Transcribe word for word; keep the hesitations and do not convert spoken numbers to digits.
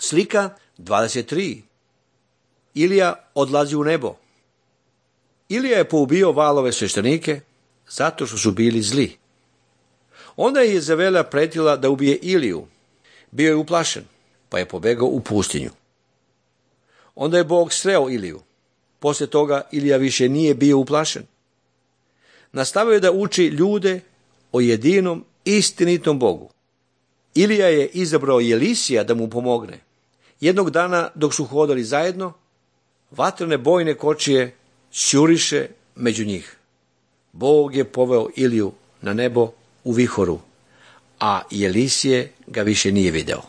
Slika dvadeset tri. Ilija odlazi u nebo. Ilija je poubio valove sveštenike zato što su bili zli. Onda je Jezavela pretila da ubije Iliju. Bio je uplašen, pa je pobegao u pustinju. Onda je Bog sreo Iliju. Poslije toga Ilija više nije bio uplašen. Nastavio je da uči ljude o jedinom istinitom Bogu. Ilija je izabrao Jelisija da mu pomogne. Jednog dana dok su hodali zajedno, vatrene bojne kočije sjuriše među njih. Bog je poveo Iliju na nebo u vihoru, a Jelisije ga više nije video.